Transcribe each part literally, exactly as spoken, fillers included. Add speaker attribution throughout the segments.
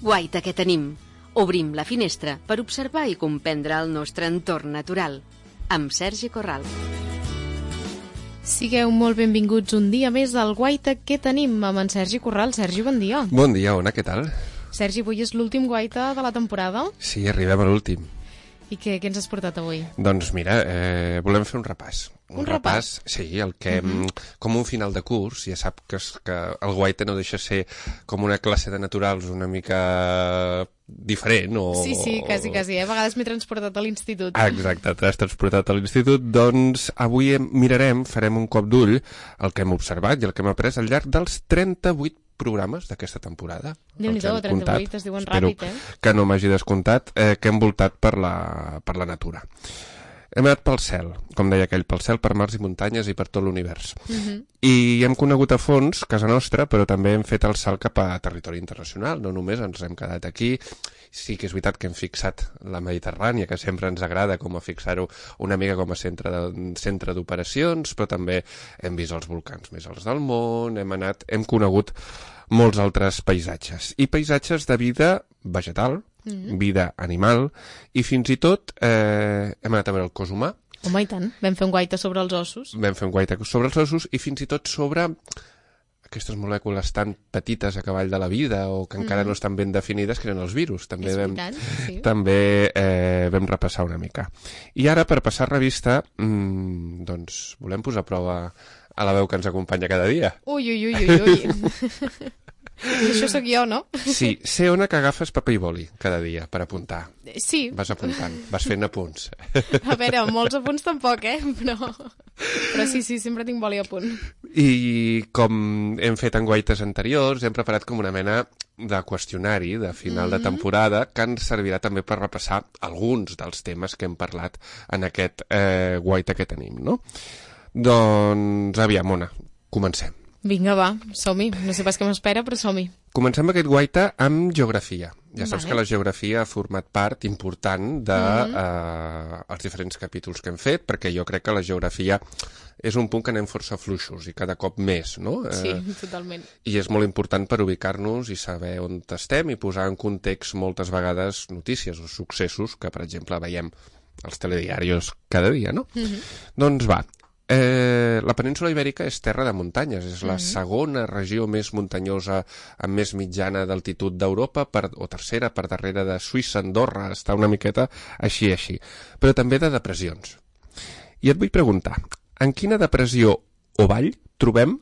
Speaker 1: guaita que tenim. Obrim la finestra per observar i comprendre el nostre entorn natural. Amb Sergi Corral.
Speaker 2: Sigueu molt benvinguts un dia més al Guaita que tenim amb en Sergi Corral. Sergi, bon dia.
Speaker 3: Bon dia, Ona, què tal?
Speaker 2: Sergi, avui és l'últim Guaita de la temporada.
Speaker 3: Sí, arribem a l'últim.
Speaker 2: I què, què ens has portat avui?
Speaker 3: Doncs mira, eh, volem fer un repàs.
Speaker 2: Un, un repàs?
Speaker 3: repàs? Sí, el que, uh-huh. com un final de curs, ja sap que, es, que el Guaita no deixa ser com una classe de naturals una mica diferent o...
Speaker 2: Sí, sí, quasi, quasi, eh? A vegades m'he transportat a l'institut.
Speaker 3: Ah, exacte, t'has transportat a l'institut. Doncs avui mirarem, farem un cop d'ull el que hem observat i el que hem après al llarg dels trenta-vuit programes d'aquesta temporada.
Speaker 2: Déu-n'hi-do, trenta-vuit, es diuen ràpid, eh?
Speaker 3: Espero que no m'hagi descomptat, eh, que hem voltat per la, per la natura. Hem anat pel cel, com deia aquell, pel cel, per mars i muntanyes i per tot l'univers. Uh-huh. I hem conegut a fons casa nostra, però també hem fet el salt cap a territori internacional, no només ens hem quedat aquí. Sí que és veritat que hem fixat la Mediterrània, que sempre ens agrada com a fixar-ho una mica com a centre de, centre d'operacions, però també hem vist els volcans més alts del món, hem anat, hem conegut molts altres paisatges. I paisatges de vida vegetal, mm-hmm. vida animal, i fins i tot eh, hem anat a veure el cos humà.
Speaker 2: Home, i tant. Vam fer un guaita sobre els ossos.
Speaker 3: Vam fer un guaita sobre els ossos i fins i tot sobre aquestes molècules tan petites a cavall de la vida o que encara mm. no estan ben definides, que eren els virus. També
Speaker 2: és
Speaker 3: vam,
Speaker 2: veritat, sí.
Speaker 3: també eh, vam repassar una mica. I ara, per passar revista, mmm, doncs volem posar a prova a la veu que ens acompanya cada dia.
Speaker 2: Ui, ui, ui, ui, ui. I això sóc jo, no?
Speaker 3: Sí, sé, Ona, que agafes paper i boli cada dia per apuntar.
Speaker 2: Sí.
Speaker 3: Vas apuntant, vas fent apunts.
Speaker 2: A veure, molts apunts tampoc, eh? Però, però sí, sí, sempre tinc boli a punt.
Speaker 3: I com hem fet en guaites anteriors, hem preparat com una mena de qüestionari de final mm-hmm. de temporada que ens servirà també per repassar alguns dels temes que hem parlat en aquest eh, guaita que tenim, no? Doncs, aviam, Ona, comencem.
Speaker 2: Vinga, va, som-hi. No sé pas què m'espera, però som-hi.
Speaker 3: Comencem aquest guaita amb geografia. Ja saps
Speaker 2: vale.
Speaker 3: que la geografia ha format part important dels de,
Speaker 2: mm-hmm.
Speaker 3: eh, diferents capítols que hem fet, perquè jo crec que la geografia és un punt que anem força fluixos i cada cop més, no?
Speaker 2: Sí,
Speaker 3: eh,
Speaker 2: totalment.
Speaker 3: I és molt important per ubicar-nos i saber on estem i posar en context moltes vegades notícies o successos que, per exemple, veiem als telediaris cada dia, no? Mm-hmm. Doncs va, Eh, la península Ibèrica és terra de muntanyes, és la mm-hmm. segona regió més muntanyosa amb més mitjana d'altitud d'Europa, per, o tercera per darrere de Suïssa, Andorra, està una miqueta així així, però també de depressions. I et vull preguntar, en quina depressió o vall trobem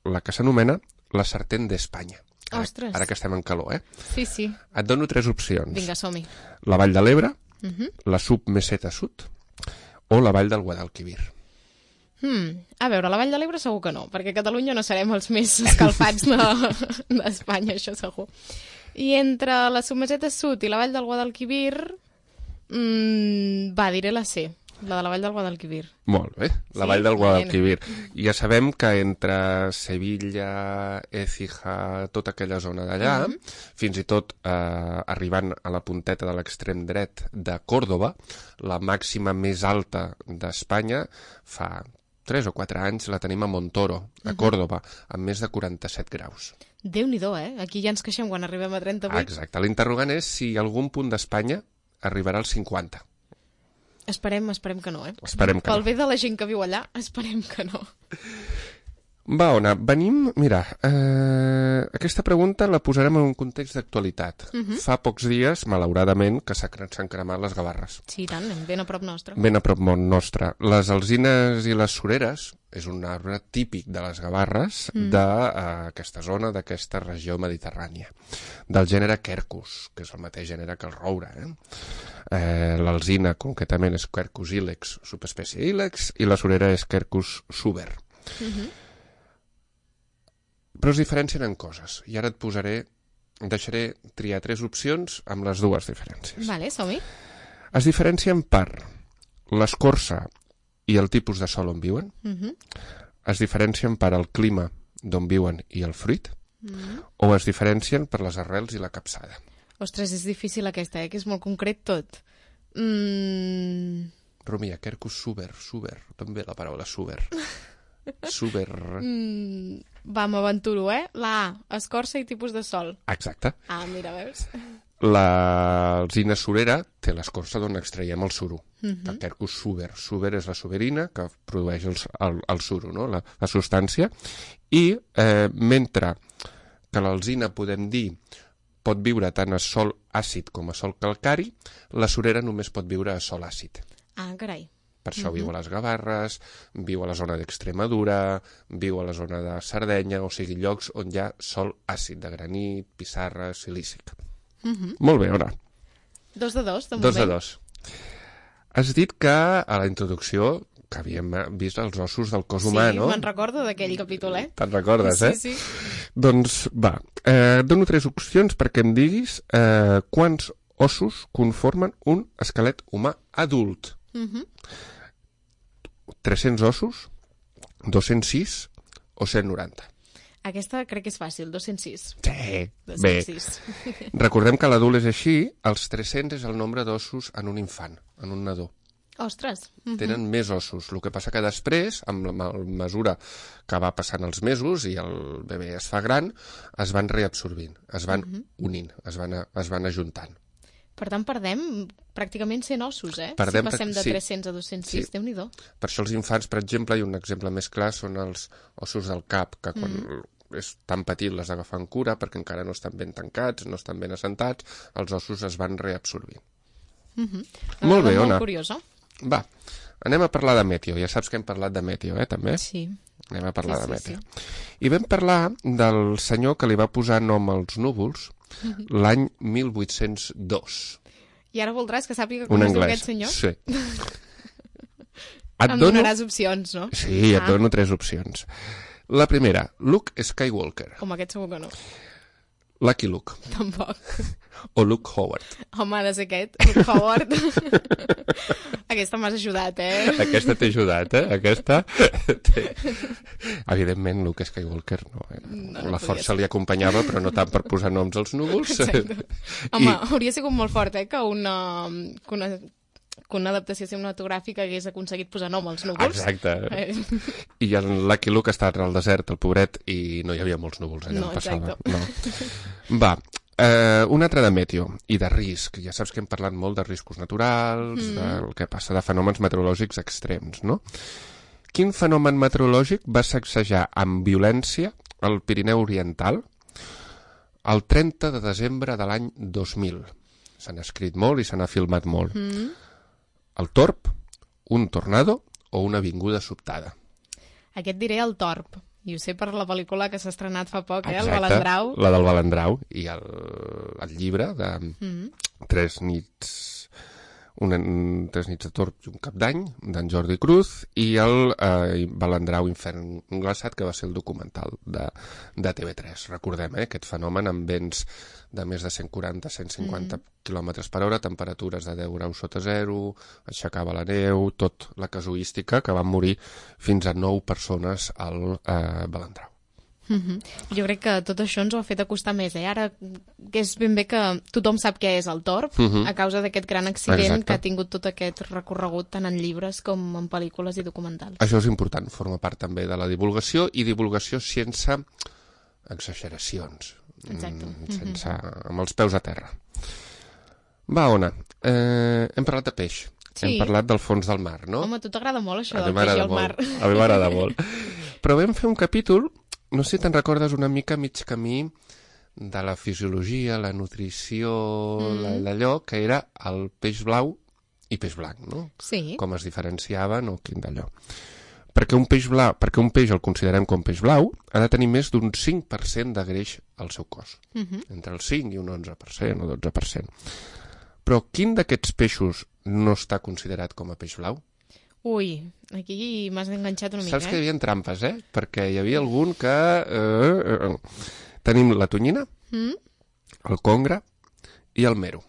Speaker 3: la que s'anomena la Sartén d'Espanya? Ara,
Speaker 2: Ostres!
Speaker 3: Ara que estem en calor, eh?
Speaker 2: Sí, sí.
Speaker 3: Et dono tres opcions.
Speaker 2: Vinga, som-hi.
Speaker 3: La vall de l'Ebre,
Speaker 2: mm-hmm.
Speaker 3: la submeseta sud o la vall del Guadalquivir.
Speaker 2: Hmm. A veure, la Vall de l'Ebre segur que no, perquè a Catalunya no serem els més escalfats d'Espanya, de, això segur. I entre la submeseta sud i la Vall del Guadalquivir, mmm, va, diré la C, la de la Vall del Guadalquivir.
Speaker 3: Molt bé, la
Speaker 2: sí?
Speaker 3: Vall del Guadalquivir. Ja sabem que entre Sevilla, Écija, tota aquella zona d'allà, mm-hmm. fins i tot eh, arribant a la punteta de l'extrem dret de Còrdova, la màxima més alta d'Espanya, fa tres o quatre anys la tenim a Montoro, a Còrdova, amb més de quaranta-set graus.
Speaker 2: Déu-n'hi-do, eh? Aquí ja ens queixem quan arribem a trenta-vuit.
Speaker 3: Exacte. L'interrogant és si algun punt d'Espanya arribarà als cinquanta.
Speaker 2: Esperem, esperem que no, eh?
Speaker 3: Esperem que
Speaker 2: Pel
Speaker 3: no.
Speaker 2: bé de la gent que viu allà, esperem que no.
Speaker 3: Va, Ona, venim... Mira, eh, aquesta pregunta la posarem en un context d'actualitat. Uh-huh. Fa pocs dies, malauradament, que s'han cremat les gavarres.
Speaker 2: Sí, tant, ben a prop nostre.
Speaker 3: Ben a prop nostre. Les alzines i les sureres és un arbre típic de les gavarres mm. d'aquesta uh, zona, d'aquesta regió mediterrània, del gènere Quercus, que és el mateix gènere que el roure. Eh? Eh, L'alzina, concretament, és Quercus ilex, subespècie ilex, i la surera és Quercus suber. Mm-hmm. Però es diferencien en coses. I ara et posaré, deixaré triar tres opcions amb les dues diferències.
Speaker 2: Vale, som-hi.
Speaker 3: Es diferencien per l'escorça i el tipus de sòl on viuen. Uh-huh. Es diferencien per el clima d'on viuen i el fruit. Uh-huh. O es diferencien per les arrels i la capçada.
Speaker 2: Ostres, és difícil aquesta, eh? Que és molt concret tot. Mm...
Speaker 3: Romia, Quercus suber, suber. També la paraula suber. Suber...
Speaker 2: Mm, va, m'aventuro, eh? La A, escorça i tipus de sol.
Speaker 3: Exacte.
Speaker 2: Ah, mira, veus?
Speaker 3: l'alzina surera té l'escorça d'on extraiem el suro.
Speaker 2: Mhm.
Speaker 3: El Quercus suber. Suber és la suberina que produeix el, el, el suro, no? la, la substància. I eh, mentre que l'alzina, podem dir, pot viure tant a sòl àcid com a sòl calcari, la surera només pot viure a sòl àcid.
Speaker 2: Ah, carai.
Speaker 3: Per això
Speaker 2: Mhm.
Speaker 3: viu a les Gavarres, viu a la zona d'Extremadura, viu a la zona de Sardenya, o sigui, llocs on hi ha sòl àcid, de granit, pissarra, silícic.
Speaker 2: Mhm.
Speaker 3: Molt bé, Ona.
Speaker 2: Dos de dos, de moment.
Speaker 3: Dos de dos. Has dit que a la introducció que havíem vist els ossos del cos humà,
Speaker 2: sí,
Speaker 3: no?
Speaker 2: me'n recordo d'aquell capítol, eh?
Speaker 3: Te'n recordes,
Speaker 2: sí,
Speaker 3: eh?
Speaker 2: Sí, sí.
Speaker 3: Doncs va, eh, et dono tres opcions perquè em diguis eh, quants ossos conformen un esquelet humà adult.
Speaker 2: Mhm.
Speaker 3: tres-cents ossos, dos-cents sis o cent noranta?
Speaker 2: Aquesta crec que és fàcil, dos-cents sis.
Speaker 3: Sí,
Speaker 2: dos-cents
Speaker 3: bé.
Speaker 2: sis.
Speaker 3: Recordem que l'adult és així, els tres-cents és el nombre d'ossos en un infant, en un nadó.
Speaker 2: Ostres. Mhm.
Speaker 3: Tenen més ossos. El que passa que després, amb la ma- mesura que va passant els mesos i el bebè es fa gran, es van reabsorbint, es van
Speaker 2: Mhm.
Speaker 3: unint, es van, a, es van ajuntant.
Speaker 2: Per tant, perdem pràcticament cent ossos, eh?
Speaker 3: Perdem
Speaker 2: si passem
Speaker 3: prac-
Speaker 2: de
Speaker 3: sí.
Speaker 2: tres-cents a dos-cents sis,
Speaker 3: Sí.
Speaker 2: Déu-n'hi-do.
Speaker 3: Per això els infants, per exemple, i un exemple més clar són els ossos del cap, que quan mm. és tan petit les agafen cura perquè encara no estan ben tancats, no estan ben assentats, els ossos es van reabsorbint.
Speaker 2: Mhm.
Speaker 3: Molt bé,
Speaker 2: Molt
Speaker 3: Ona.
Speaker 2: curiosa.
Speaker 3: Va, anem a parlar de meteo. Ja saps que hem parlat de meteo, eh, també?
Speaker 2: Sí.
Speaker 3: Anem a parlar
Speaker 2: Sí,
Speaker 3: de
Speaker 2: sí,
Speaker 3: meteo. I vam parlar del senyor que li va posar nom als núvols
Speaker 2: Mhm.
Speaker 3: l'any mil vuit-cents dos.
Speaker 2: I ara voldràs que sàpiga
Speaker 3: Un
Speaker 2: com es diu
Speaker 3: anglès.
Speaker 2: aquest senyor?
Speaker 3: Sí. Et
Speaker 2: Em
Speaker 3: dono...
Speaker 2: donaràs opcions, no?
Speaker 3: Sí, et
Speaker 2: Ah.
Speaker 3: dono tres opcions. La primera, Luke Skywalker,
Speaker 2: Com aquest segur que no.
Speaker 3: Lucky Luke
Speaker 2: Tampoc.
Speaker 3: o Luke Howard.
Speaker 2: Home, ha de ser aquest, Luke Howard. Aquesta m'has ajudat, eh?
Speaker 3: Aquesta t'he ajudat, eh? Aquesta... té- Evidentment, Luke Skywalker no. Eh?
Speaker 2: No,
Speaker 3: La
Speaker 2: no
Speaker 3: força
Speaker 2: podia
Speaker 3: li acompanyava, però no tant per posar noms als núvols.
Speaker 2: Exacte. Home, hauria sigut molt fort, eh, que una, que una, que una adaptació cinematogràfica hagués aconseguit posar nom als núvols.
Speaker 3: Exacte.
Speaker 2: Eh,
Speaker 3: I el Lucky Luke està al desert, el pobret, i no hi havia molts núvols allà
Speaker 2: No,
Speaker 3: on passava.
Speaker 2: exacte.
Speaker 3: No. Va, eh, un altre de meteo i de risc. Ja saps que hem parlat molt de riscos naturals, mm. del que passa, de fenòmens meteorològics extrems, no? Quin fenomen meteorològic va sacsejar amb violència el Pirineu Oriental el trenta de desembre de l'any dos mil? Se n'ha escrit molt i se n'ha filmat molt.
Speaker 2: mm.
Speaker 3: El torb, un tornado o una vinguda sobtada?
Speaker 2: Aquest diré el Torb. I ho sé per la pel·lícula que s'ha estrenat fa poc, eh? El
Speaker 3: Exacte,
Speaker 2: Balandrau.
Speaker 3: la del Balandrau i el, el llibre de
Speaker 2: Mm.
Speaker 3: Tres nits una, Tres nits de torb i un cap d'any d'en Jordi Cruz i el eh, Balandrau Infern glaçat, que va ser el documental de, de T V tres. Recordem, eh, aquest fenomen amb vents de més de cent quaranta a cent cinquanta mm. quilòmetres per hora, temperatures de deu graus sota zero, aixecava la neu, tot la casuística, que van morir fins a nou persones al eh, Balandrau.
Speaker 2: Mm-hmm. Jo crec que tot això ens ho ha fet acostar més, eh? Ara que és ben bé que tothom sap què és el Torb,
Speaker 3: Mhm.
Speaker 2: a causa d'aquest gran accident
Speaker 3: Exacte.
Speaker 2: que ha tingut tot aquest recorregut tant en llibres com en pel·lícules i documentals.
Speaker 3: Això és important, forma part també de la divulgació i divulgació sense exageracions.
Speaker 2: Exacte.
Speaker 3: Mm, sense, amb els peus a terra. Va, Ona, eh, hem parlat de peix.
Speaker 2: Sí.
Speaker 3: Hem parlat del fons del mar, no?
Speaker 2: Home, a tu t'agrada molt això
Speaker 3: A
Speaker 2: del
Speaker 3: mi
Speaker 2: peix i
Speaker 3: m'agrada
Speaker 2: el mar.
Speaker 3: molt. A mi m'agrada molt. Però vam fer un capítol, no sé si te'n recordes, una mica mig camí de la fisiologia, la nutrició,
Speaker 2: Mm.
Speaker 3: d'allò, que era el peix blau i peix blanc, no?
Speaker 2: Sí.
Speaker 3: Com es diferenciaven o quin d'allò. Perquè un peix blau, perquè un peix el considerem com peix blau, ha de tenir més d'un cinc per cent de greix al seu cos.
Speaker 2: Mhm.
Speaker 3: Entre el cinc i un onze per cent o dotze per cent. Però quin d'aquests peixos no està considerat com a peix blau?
Speaker 2: Ui, aquí m'has enganxat una mica,
Speaker 3: Saps que hi
Speaker 2: eh?
Speaker 3: havia trampes, eh? Perquè hi havia algun que... Eh, eh, eh. Tenim la tonyina,
Speaker 2: Mm?
Speaker 3: el congre i el mero.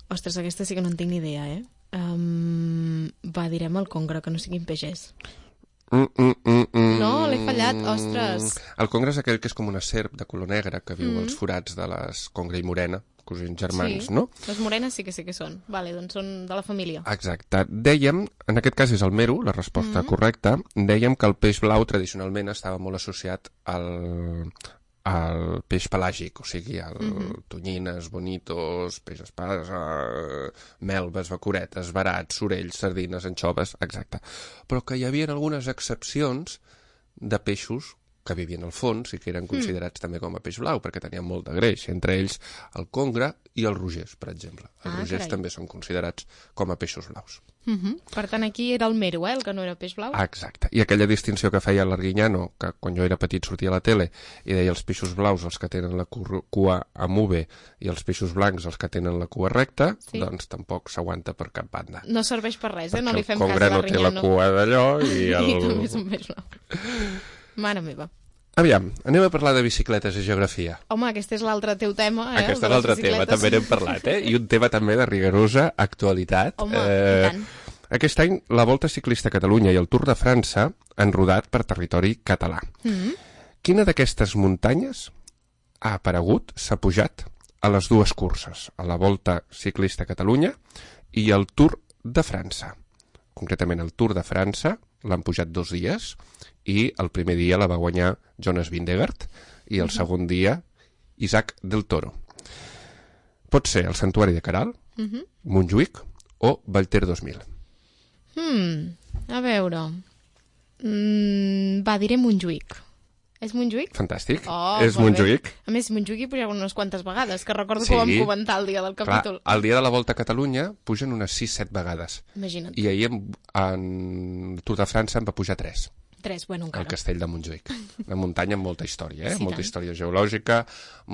Speaker 2: Ostres, aquesta sí que no en tinc ni idea, eh? Um, va, direm el congre, que no siguin peixers.
Speaker 3: Mm, mm, mm, mm.
Speaker 2: No, l'he fallat, ostres.
Speaker 3: El congre és aquell que és com una serp de color negre que viu
Speaker 2: Mm.
Speaker 3: als forats de les congre i morena, cosins germans,
Speaker 2: Sí.
Speaker 3: no?
Speaker 2: Les morenes sí que sí que són. Vale, doncs són de la família.
Speaker 3: Exacte. Dèiem, en aquest cas és el mero, la resposta
Speaker 2: Mm.
Speaker 3: correcta, dèiem que el peix blau tradicionalment estava molt associat al, el peix pelàgic, o sigui, el mm-hmm. tonyines, bonitos, peix espasa, melves, bacoretes, barats, sorells, sardines, anxoves, exacte. Però que hi havia algunes excepcions de peixos que vivien al fons i que eren considerats mm. també com a peix blau, perquè tenien molt de greix, entre ells el congre i els rogers, per exemple. Els ah, rogers carai. També són considerats com a peixos blaus.
Speaker 2: Mm-hmm. Per tant, aquí era el mero, eh, el que no era peix blau?
Speaker 3: Exacte. I aquella distinció que feia l'Arguiñano, que quan jo era petit sortia a la tele, i deia els peixos blaus els que tenen la cua amb U i els peixos blancs els que tenen la cua recta, sí. doncs tampoc s'aguanta per cap banda.
Speaker 2: No serveix per res, eh? No li fem
Speaker 3: cas a l'Arguiñano. El congre no té la cua d'allò i el...
Speaker 2: I també és un peix blau. Mare meva.
Speaker 3: Aviam, anem a parlar de bicicletes i geografia.
Speaker 2: Home, aquest és l'altre teu tema, eh?
Speaker 3: Aquest és l'altre tema, també n'hem parlat, eh? I un tema també de rigorosa actualitat.
Speaker 2: Home, eh, i tant.
Speaker 3: Aquest any, la Volta Ciclista a Catalunya i el Tour de França han rodat per territori català. Mm-hmm. Quina d'aquestes muntanyes ha aparegut, s'ha pujat a les dues curses, a la Volta Ciclista a Catalunya i el Tour de França? Concretament, el Tour de França l'han pujat dos dies i el primer dia la va guanyar Jonas Vingegaard i el uh-huh. segon dia Isaac del Toro. Pot ser el Santuari de Caral, uh-huh. Montjuïc o Vallter dos mil.
Speaker 2: Hmm, a veure... Mm, va, diré Montjuïc. És Montjuïc?
Speaker 3: Fantàstic,
Speaker 2: oh,
Speaker 3: és Montjuïc.
Speaker 2: Bé. A més, Montjuïc hi pujava unes quantes vegades, que recordo sí. que ho vam comentar el dia del capítol.
Speaker 3: Clar, el dia de la Volta a Catalunya pugen unes sis set vegades.
Speaker 2: Imagina't.
Speaker 3: I ahir en, en Tour de França en va pujar tres.
Speaker 2: Tres, bueno, encara.
Speaker 3: El castell de Montjuïc. Una muntanya amb molta història, eh?
Speaker 2: Sí,
Speaker 3: molta
Speaker 2: tant.
Speaker 3: Història geològica,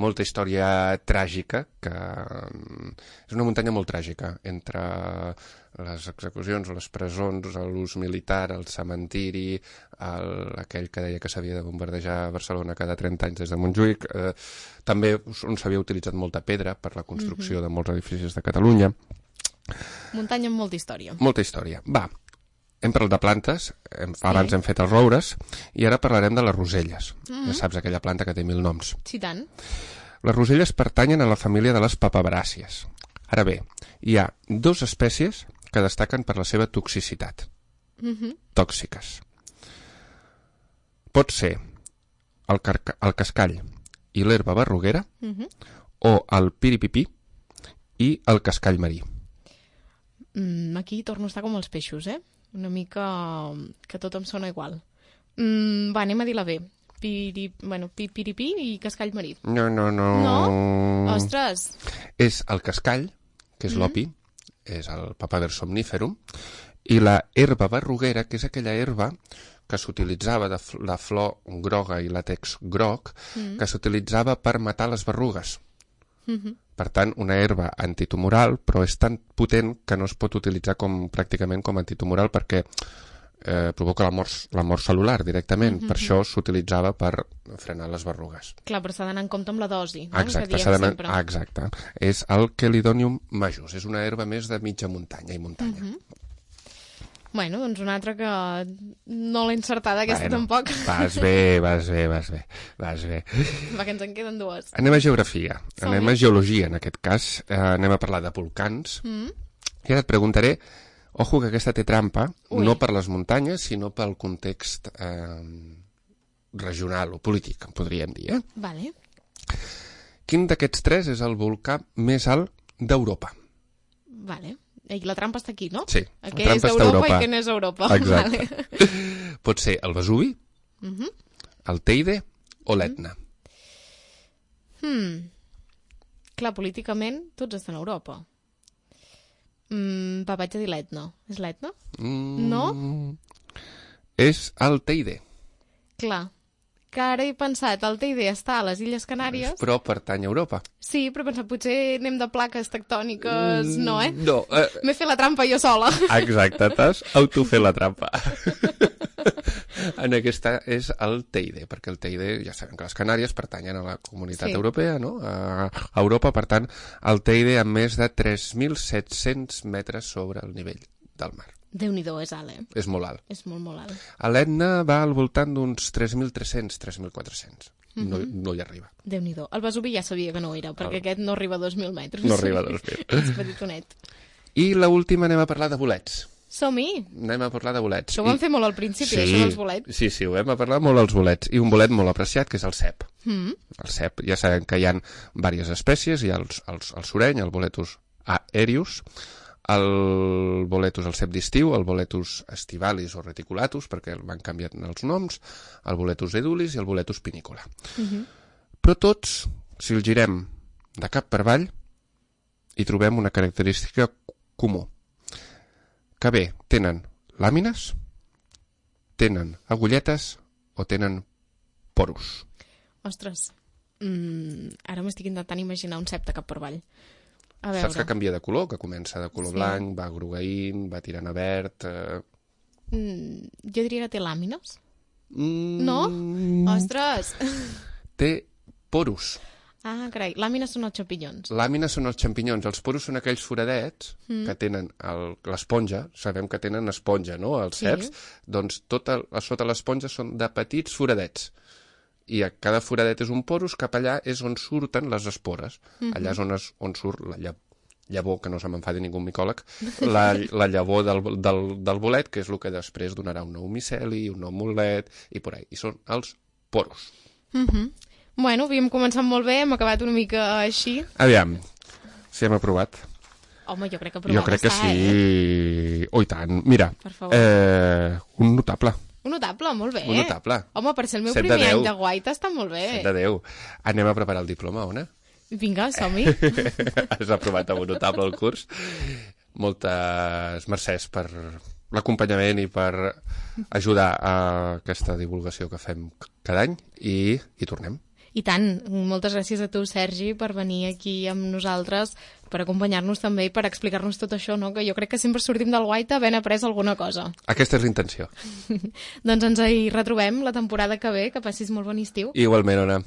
Speaker 3: molta història tràgica, que és una muntanya molt tràgica, entre les execucions, les presons, l'ús militar, el cementiri, el, aquell que deia que s'havia de bombardejar Barcelona cada trenta anys des de Montjuïc, eh, també on s'havia utilitzat molta pedra per la construcció mm-hmm. de molts edificis de Catalunya.
Speaker 2: Muntanya amb molta història.
Speaker 3: Molta història. Va, hem parlat de plantes, hem, sí. abans hem fet els roures, i ara parlarem de les roselles. Mm-hmm. Ja saps, aquella planta que té mil noms.
Speaker 2: Sí, tant.
Speaker 3: Les roselles pertanyen a la família de les papabràcies. Ara bé, hi ha dues espècies que destaquen per la seva toxicitat. Mm-hmm. Tòxiques. Pot ser el, carca, el cascall i l'herba berruguera, mm-hmm. o el piripipí i el cascall marí.
Speaker 2: Mm, aquí torno a estar com els peixos, eh? Una mica que tot em sona igual. Mm, va, anem a dir la B. Piri, bueno, pi, piripí i cascall marí.
Speaker 3: No, no, no.
Speaker 2: No? Ostres!
Speaker 3: És el cascall, que és mm-hmm. l'opi, és el Papaver somniferum, i la herba berruguera, que és aquella herba que s'utilitzava de fl- la flor groga i làtex groc, mm-hmm. que s'utilitzava per matar les berrugues. Mm-hmm. Per tant, una herba antitumoral, però és tan potent que no es pot utilitzar com, pràcticament com antitumoral perquè eh, provoca la mort, la mort cel·lular directament. Mm-hmm. Per això s'utilitzava per frenar les berrugues.
Speaker 2: Clar, però s'ha d'anar en compte amb la dosi, no?
Speaker 3: Exacte, s'ha d'anar... Ah, exacte. És el Chelidonium majus. És una herba més de mitja muntanya i muntanya. Mm-hmm.
Speaker 2: Bueno, doncs una altra que no l'he encertada, aquesta bueno, tampoc.
Speaker 3: Vas bé, vas bé, vas bé, vas bé.
Speaker 2: Va, que ens en queden dues.
Speaker 3: Anem a geografia, Som anem a geologia en aquest cas, eh, anem a parlar de volcans. Mm. I ara et preguntaré, ojo que aquesta té trampa, Ui. no per les muntanyes, sinó pel context eh, regional o polític, podríem dir. Eh?
Speaker 2: Vale.
Speaker 3: Quin d'aquests tres és el volcà més alt d'Europa?
Speaker 2: Vale. I la trampa està aquí, no?
Speaker 3: Sí,
Speaker 2: la trampa és
Speaker 3: està a Europa.
Speaker 2: I què n'és Europa.
Speaker 3: Exacte. Vale. Pot ser el Vesuvi,
Speaker 2: uh-huh.
Speaker 3: el Teide o l'Etna.
Speaker 2: Hmm. Clar, políticament tots estan a Europa. Mm, va, vaig a dir l'Etna. És l'Etna? Mm, no?
Speaker 3: És el Teide.
Speaker 2: Clar. Que ara he pensat, el Teide està a les Illes Canàries.
Speaker 3: Però pertany a Europa.
Speaker 2: Sí, però he pensat, potser anem de plaques tectòniques, mm, no, eh?
Speaker 3: No. Eh...
Speaker 2: M'he fet la trampa jo sola.
Speaker 3: Exacte, t'has autofet la trampa. En aquesta és el Teide, perquè el Teide, ja sabem que les Canàries pertanyen a la comunitat sí. europea, no? A Europa, per tant, el Teide amb més de tres mil set-cents metres sobre el nivell del mar.
Speaker 2: Déu-n'hi-do, és alt, eh?
Speaker 3: És molt alt.
Speaker 2: És molt, molt alt.
Speaker 3: A l'Etna va al voltant d'uns tres mil tres-cents, tres mil quatre-cents. Mm-hmm. No, no hi arriba.
Speaker 2: Déu-n'hi-do. El Vesuvi ja sabia que no era, perquè el... aquest no arriba a dos mil metres.
Speaker 3: No arriba a dos mil.
Speaker 2: És petitonet.
Speaker 3: I l'última anem a parlar de bolets.
Speaker 2: Som-hi!
Speaker 3: Anem a parlar de bolets.
Speaker 2: Això ho vam I... fer molt al principi,
Speaker 3: sí,
Speaker 2: això dels bolets.
Speaker 3: Sí, sí, ho vam a parlar molt als bolets. I un bolet molt apreciat, que és el cep.
Speaker 2: Mm.
Speaker 3: El cep, ja sabem que hi ha diverses espècies, hi ha els, els, el sureny, el boletus aerius, el boletus, el cep d'estiu, el boletus estivalis o reticulatus, perquè van canviant els noms, el boletus edulis i el boletus pinicola.
Speaker 2: Mm-hmm.
Speaker 3: Però tots, si el girem de cap per avall, hi trobem una característica comú. Que bé, tenen làmines, tenen agulletes o tenen porus.
Speaker 2: Ostres, mm, ara m'estic intentant imaginar un cep de cap per avall. A veure.
Speaker 3: Saps que canvia de color, que comença de color
Speaker 2: Sí.
Speaker 3: blanc, va grogueint, va tirant a verd... Eh...
Speaker 2: Mm, jo diria que té làmines.
Speaker 3: Mm...
Speaker 2: No? Ostres!
Speaker 3: Té porus.
Speaker 2: Ah, carai, làmines són els xampinyons.
Speaker 3: Làmines són els xampinyons, els porus són aquells foradets
Speaker 2: Mm.
Speaker 3: que tenen el- l'esponja, sabem que tenen esponja, no?, els
Speaker 2: Sí.
Speaker 3: ceps, doncs tot el, a sota l'esponja són de petits foradets. I a cada foradet és un porus, cap allà és on surten les espores.
Speaker 2: Mhm.
Speaker 3: Allà és on, es, on surt la lla- llavor, que no se m'enfadi ningú micòleg, la, la llavor del, del, del bolet, que és el que després donarà un nou miceli, un nou mulet, i por ahí. I són els porus.
Speaker 2: Mhm. Bueno, havíem començat molt bé, hem acabat una mica així.
Speaker 3: Aviam, si hem aprovat.
Speaker 2: Home, jo crec que aprovat
Speaker 3: Jo crec que
Speaker 2: està,
Speaker 3: sí.
Speaker 2: eh?
Speaker 3: Oh, i tant. Mira,
Speaker 2: Per favor.
Speaker 3: eh, un notable.
Speaker 2: Un notable, molt bé.
Speaker 3: Un notable.
Speaker 2: Home, per ser el meu
Speaker 3: Set de
Speaker 2: primer
Speaker 3: deu.
Speaker 2: any de guaita està molt bé.
Speaker 3: De Déu. Anem a preparar el diploma, Ona?
Speaker 2: Vinga, som-hi.
Speaker 3: Has aprovat amb un notable el curs. Moltes mercès per l'acompanyament i per ajudar a aquesta divulgació que fem cada any i, i tornem.
Speaker 2: I tant, moltes gràcies a tu, Sergi, per venir aquí amb nosaltres, per acompanyar-nos també i per explicar-nos tot això, no? Que jo crec que sempre sortim del guaita havent après alguna cosa.
Speaker 3: Aquesta és l'intenció.
Speaker 2: Doncs ens hi retrobem la temporada que ve, que passis molt bon estiu.
Speaker 3: Igualment, Ona.